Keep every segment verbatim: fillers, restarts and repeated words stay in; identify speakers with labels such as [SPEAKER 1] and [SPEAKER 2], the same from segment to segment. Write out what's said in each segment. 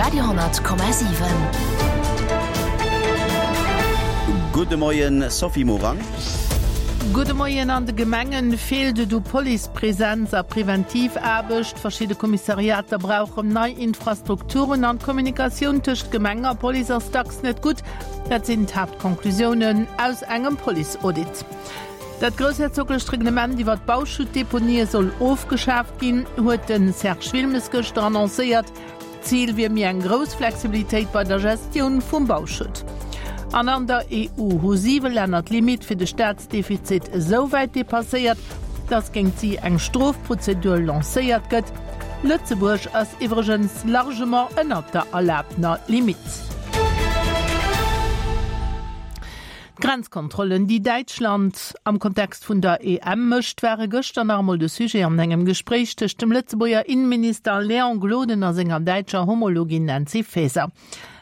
[SPEAKER 1] Radio honnert Komma siwen.
[SPEAKER 2] Gudde Moien, Sophie Morang.
[SPEAKER 3] Gudde Moien. An de Gemengen feelt et u Policepresenz a Preventivaarbecht. Verschidde Kommissariater brauchen nei Infrastrukturen an d'Kommunikatioun tëscht Gemeng a Police ass dacks net gutt. Dat sinn d'Haaptconclusiounen aus engem Police-Audit. Dat groussherzoglecht Reglement iwwer d'Bauschuttdeponië soll ofgeschaaft ginn, huet de Serge Wilmes gëschter annoncéiert. Zil wier méi eng grouss Flexibilitéit bei der Gestioun vum Bauschutt. An an der E U hu siwe Länner d'Limitt fir de Staatsdefizit esou wäit depasséiert, datt géint si eng Strofprozedur lancéiert gëtt. Lëtzebuerg ass iwwregens largement ënnert der erlaabtener Limitt. D'Grenzkontrollen, déi Däitschland am Kontext vun der E M mécht, ware gëschter nach emol de Sujet an engem Gespréich tëscht dem Lëtzebuerger Inneminister Léon Gloden a senger däitscher Homologin Nancy Faeser.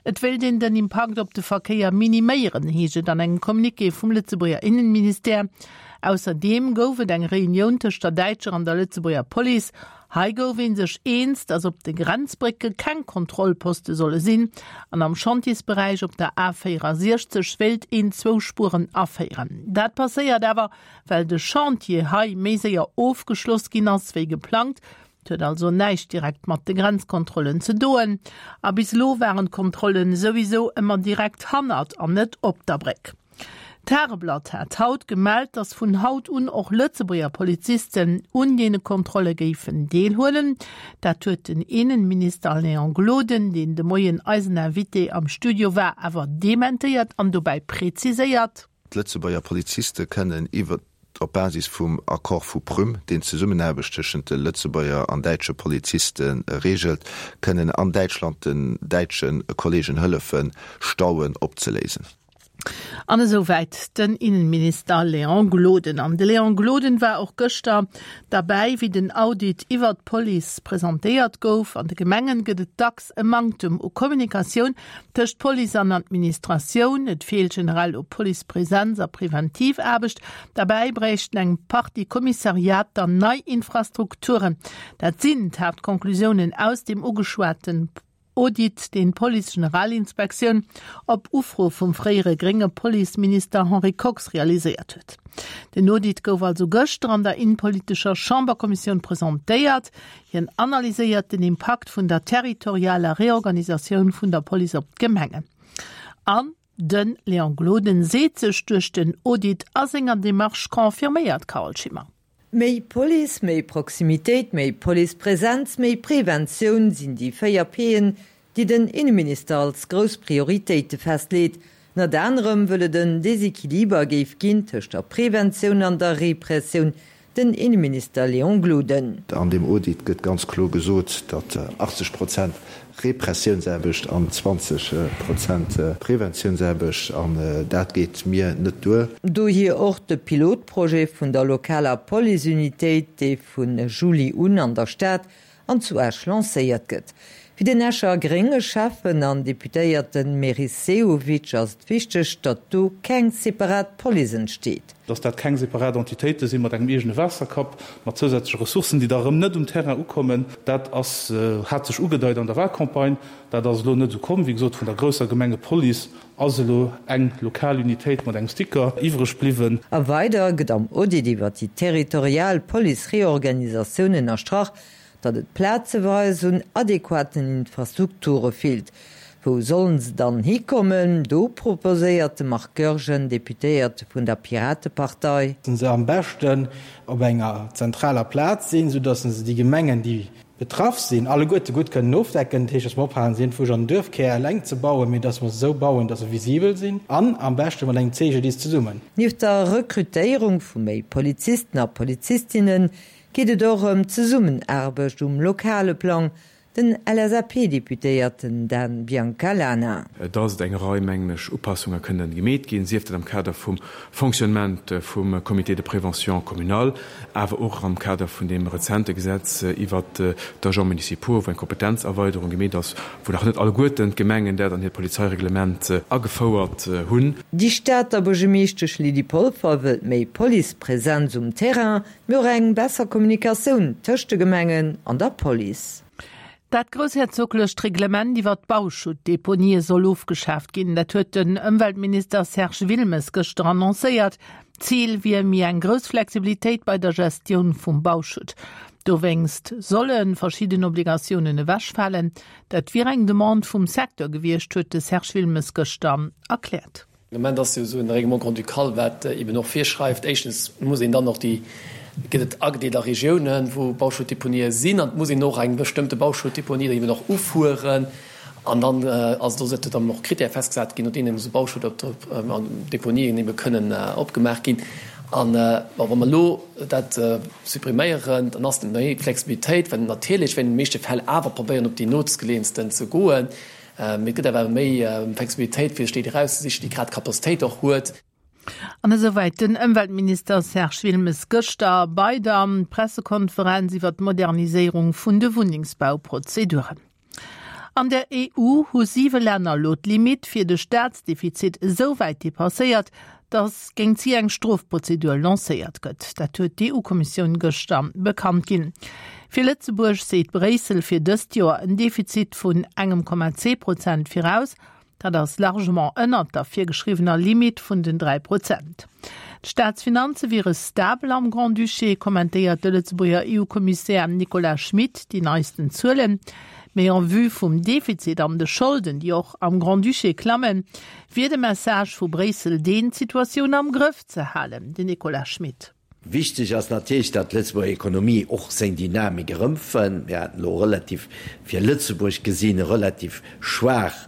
[SPEAKER 3] Et wéilt een den Impakt op de Verkéier miniméieren, heescht et an engem Communiqué vum Lëtzebuerger Innenministère. Ausserdeem gouf et eng Reunioun tëscht der däitscher an der Lëtzebuerger Police. Hei gouf ee sech eens, datt op de Grenzbrécke keng Kontrollposte solle sinn an am Chantiersberäich op der A véierasechzeg wéilt een zwou Spueren aféieren. Dat passéiert awer, well de Chantier hei méi séier ofgeschloss ginn ass wéi geplangt. Et huet also näischt direkt mat de Grenzkontrollen ze doen. A bis elo waren d'Kontrollen souwisou ëmmer direkt hannert an net op der Bréck. D'Tageblatt hat haut gemellt, datt vun haut un och Lëtzebuerger Polizisten un deene Kontrolle géifen deelhuelen. Dat huet den Innenminister Léon Gloden, deen de Moien eisen Invité am Studio war, awer dementéiert an dobäi preziséiert.
[SPEAKER 4] D'Lëtzebuerger Poliziste kënnen iwwer op Basis vum Accord vu Prüm, deen d'Zesummenaarbecht tëschent de Lëtzebuerger an däitsche Poliziste reegelt, kënnen an Däitschland den däitsche Kolleegen hëllefen, Stauen opzeléisen.
[SPEAKER 3] An esouwäit den Innenminister Léon Gloden. An de Léon Gloden war och gëschter derbäi, wéi den Audit iwwer d'Police presentéiert gouf. An de Gemengen gëtt et dacks e Manktem u Kommunikatioun tëscht Police an Administratioun. Et feelt generell u Policepresenz a Preventivaarbecht. Derbäi bräichten eng Partie Kommissariater nei Infrastrukturen. Dat sinn d'Haaptconclusiounen aus dem ugeschwaten Audit, deen d'Police-Generalinspektioun op Ufro vum fréiere grénge Policeminister Henri Kox realiséiert huet. Den Audit gouf also gëschter an der innepolitescher Chamberkommissioun presentéiert. Hien analyséiert den Impakt vun der territorialer Reorganisatioun vun der Police op d'Gemengen. An de Léon Gloden seet sech duerch den Audit a senger Demarche confirméiert, Carole Schimmer.
[SPEAKER 5] Méi Police, méi Proximitéit, méi Policepresenz, méi Preventioun sinn déi véier P'en, déi den Inneminister als grouss Prioritéite festleet. Ënnert anerem well et en Desequiliber géif ginn tëscht der Preventioun an der Repressioun, den Inneminister Léon Gloden.
[SPEAKER 4] An deem Audit gëtt ganz kloer gesot, datt achtzeg Prozent Repressiounsaarbecht an zwanzeg Prozent Preventiounsaarbecht, an dat geet mir net duer.
[SPEAKER 5] Dohier och de Pilotprojet vun der lokaler Policeunitéit, dee vu Juli un an der Stad an zu Esch lancéiert gëtt. Fir den Escher grénge Schäffen an Deputéierte Meris Sehovic ass et wichteg, datt do keng separat Police entsteet.
[SPEAKER 6] Datt dat keng separat Entitéite si mat engem eegene Waasserkapp, mat zousätzleche Ressourcen, déi da erëm net um Terrain ukommen, dat ass, hat sech ugedeit an der Wahlcampagne. Dat ass elo net esou komm. Wéi gesot, vun der grousser Gemengepolice ass elo eng lokal Unitéit mat engem Sticker iwwreg bliwwen.
[SPEAKER 5] A weider gëtt am Audit iwwer déi territorial Police-Reorganisatioun ënnerstrach, datt et plazeweis un adequaten Infrastrukture feelt. Wou sollen se dann hikommen? Do proposéiert de Marc Goergen, Deputéierte vun der Piratepartei.
[SPEAKER 7] Se am beschten op enger zentraler Plaz sinn, soudatt se déi Gemengen, déi betraff sinn, alleguerte gutt kënnen ofdecken. Dat heescht, datt mer ophalen, se iergendwou an den Duerfkär eleng ze bauen, mee datt mer se esou bauen, datt se visibel sinn an am beschte mat engem C G D I S zesummen.
[SPEAKER 5] Nieft der Rekrutéierung vu méi Polizisten a Polizistinnen geet et och ëm d'Zesummenaarbecht um lokale Plang, den L S A P-Deputéierten Dan Biancalana.
[SPEAKER 8] Dass et eng Rei, mengen ech, Upassunge kënnen gemeet ginn, sief dat am Kader vum Fonctionnement vum Comité de prévention communal, awer och am Kader vun deem rezente Gesetz iwwert d'Agents municipaux, wou eng Kompetenzerweiderung gemeet ass, wou nach net alleguerten d'Gemengen dat an hiert Polizeireglement agefouert hunn.
[SPEAKER 5] Déi Stater Buergermeeschtesch Lydie Polfer wëllt méi Policepresenz um Terrain, mee och eng besser Kommunikatioun tëscht de Gemengen an der Police.
[SPEAKER 3] Dat groussherzoglecht Reglement iwwer d'Bauschuttdeponië soll ofgeschaaft ginn. Dat huet den Ëmweltminister Serge Wilmes gëschter annoncéiert. Zil wier méi eng grouss Flexibilitéit bei der Gestioun vum Bauschutt. Dowéinst solle verschidden Obligatiounen ewechfalen. Dat wier eng Demande vum Secteur gewiescht, huet de Serge Wilmes gëschter erkläert.
[SPEAKER 1] De Moment ass jo esou en Règlement grand-ducal, wat eben och virschreift, éischtens muss een dann och déi, gëtt et agedeelt a Regiounen, wou Bauschuttdeponië sinn, an et muss een och eng bestëmmte Bauschuttdeponie dann eben och ufueren. An dann ass et och esou, datt dann och Critèrë festgesat ginn, no deenen esou Bauschuttdeponien ebe kënnen opgemaach ginn. An bon, wa mer elo dat suppriméieren, dann ass et méi Flexibilitéit, well natierlech wäerten an de meeschte Fäll awer probéieren, op déi nootgeleeënsten ze goen. Mee et gëtt awer méi Flexibilitéit, fir sech déi erauszesichen, déi grad d'Capacitéit och huet.
[SPEAKER 3] An esouwäit den Ëmweltminister Serge Wilmes gëschter bei der Pressekonferenz iwwer d'Moderniséierung vun de Wunnengsbauprozeduren. An der EU hu siwe Länner elo d'Limitt fir de Staatsdefizit esou wäit depasséiert, datt géint si eng Strofprozedur lancéiert gëtt. Dat huet d'EU-Kommissioun gëschter bekannt ginn. Fir Lëtzebuerg seet Bréissel fir dëst Joer en Defizit vun engem Komma zwee Prozent viraus. Dat ass largement ënnert der virgeschriwwener Limite vun den dräi Prozent. D'Staatsfinanze wiere stabel am Grand-Duché, kommentéiert de Lëtzebuerger EU-Kommissär Nicolas Schmit déi neisten Zuelen. Mee en vue vum Defizit an de Scholden, déi och am Grand-Duché klammen, wier de Message vu Bréissel deen, d'Situatioun am Grëff ze halen. Den Nicolas Schmit.
[SPEAKER 9] Wichteg ass natierlech, datt d'Lëtzebuerger Ekonomie och seng Dynamik erëmfënnt. Mir haten elo relativ, fir Lëtzebuerg gesinn, e relativ schwaach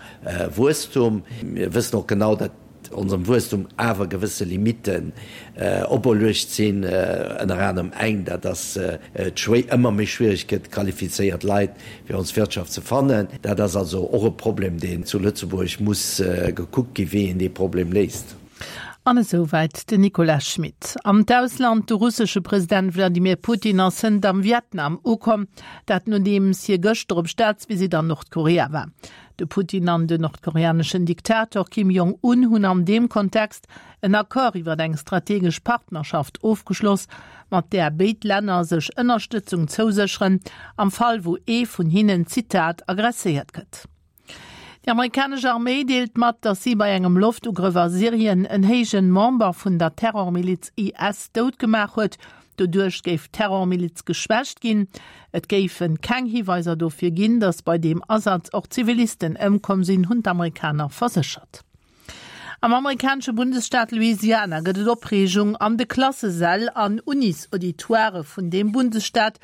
[SPEAKER 9] Wuesstum. Mir wëssen och genau, datt onsem Wuesstum awer gewësse Limitten operluecht sinn, ënner anerem eng, dat ass et ëmmer méi schwiereg gëtt, qualifizéiert Leit fir ons Wirtschaft ze fannen. Dat ass also och e Problem, deen zu Lëtzebuerg muss gekuckt ginn, wéi een dee Problem léist.
[SPEAKER 3] An esouwäit den Nicolas Schmit. An d'Ausland, De russesche President Wladimir Putin ass hënt am Vietnam ukomm, dat nodeems hie gëschter op Staatsvisitt an Nordkorea war. De Putin an den nordkoreaneschen Diktator Kim Jong Un hunn an deem Kontext en Accord iwwer eng strategesch Partnerschaft ofgeschloss, mat där béid Länner sech Ënnerstëtzung zousécheren, am Fall wou ee vun hinnen, Zitat, aggresséiert gëtt. Déi amerikanesch Arméi deelt mat, datt si bei engem Loftugrëff a Syrien en héijen Member vun der Terrormiliz IS dout gemaach huet. Doduerch géif d'Terrormiliz geschwächt ginn. Et géife keng Hiweiser dofir ginn, datt bei deem Asaz och Zivilisten ëmkomm sinn, hunn d'Amerikaner verséchert. Am amerikanesche Bundesstaat Louisiana gëtt et Opreegung an de Klassesäll an Unis-Auditoirë vun deem Bundesstaat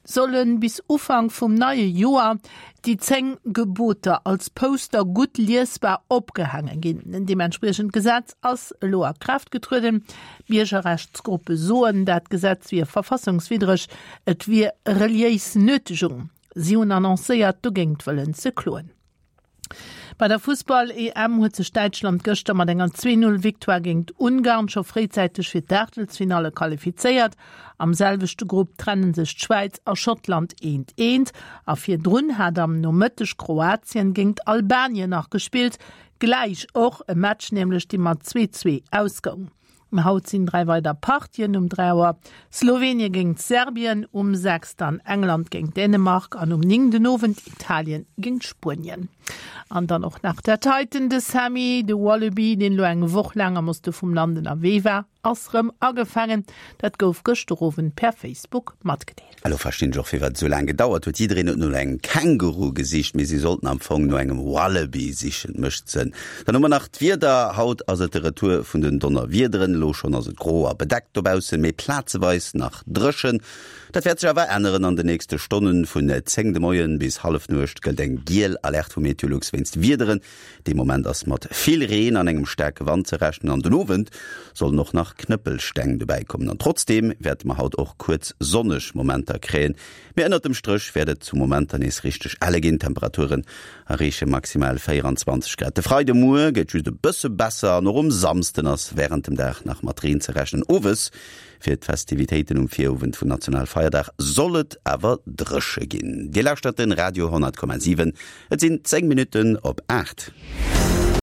[SPEAKER 3] solle bis Ufank vum neie Joer déi zéng Geboter als Poster gutt liesbar opgehaange ginn. En deementspriechend Gesetz ass elo a Kraaft getrueden. Biergerrechtsgruppe soen, dat Gesetz wier verfassungswiddreg, et wier reliéis Nötegung. Si hunn annoncéiert, dogéint wëllen ze kloen. Bei der Fussball-EM huet sech Däitschland gëschter mat enger Zwee-Null-Victoire géint Ungarn scho fréizäiteg fir d'Aachtelsfinalle qualifizéiert. Am selwechte Grupp trenne sech d'Schwäiz a Schottland eent eent a virdrun hat am Nomëtteg Kroatien géint Albanien nach gespillt, gläich och e Match nämlech dee mat zwee zwee ausgoung. Haut sinn dräi weider Partien, um dräi Auer Slowenien géint Serbien, um sechs dann England géint Dänemark an um néng den Owend Italien géint Spuenien. An dann och nach dat heiten, de Sammy, de Wallaby, deen elo eng Woch laang am Oste vum Land ënnerwee war, ass rëm agefaangen. Dat gouf gëschter Owend per Facebook matgedeelt.
[SPEAKER 2] Elo verstinn ech och firwat et esou laang gedauert huet. Jiddereen huet no engem Känguru gesicht, mee si sollten am Fong no engem Wallaby sichen. Mécht Sënn. Dann hu mer nach d'Wieder. Haut ass et de Retour vun den Donnerwiederen. Elo schonn ass et gro a bedeckt dobaussen, mee plazeweis nach dréchen. Dat wäert sech awer änneren an de nächste Stonnen. Vun zéng de Moien bis Hallefnuecht gëllt eng giel Alerte vu Meteolux wéinst Wiederen. Dee Moment ass mat vill Reen an engem staarke Wand ze rechnen an den Owend sollen och nach Knëppelsteng dobäi kommen. An trotzdeem wäerte mer haut och kuerz sonneg Momenter kréien, mee ënnert dem Stréch wäert et zu Momenter nees richteg elle ginn. D'Temperaturen erreeche maximal véieranzwanzeg Grad. De Freidemuer gëtt just e bësse besser an och um Samsden ass wärend dem Dag nach mat Reen ze rechnen. Owes fir d'Festivitéiten um Virowend vum Nationalfeierdag soll et awer dréche ginn. Dir lauschtert den Radio honnert Komma siwen. Et sinn zéng Minutten op aacht.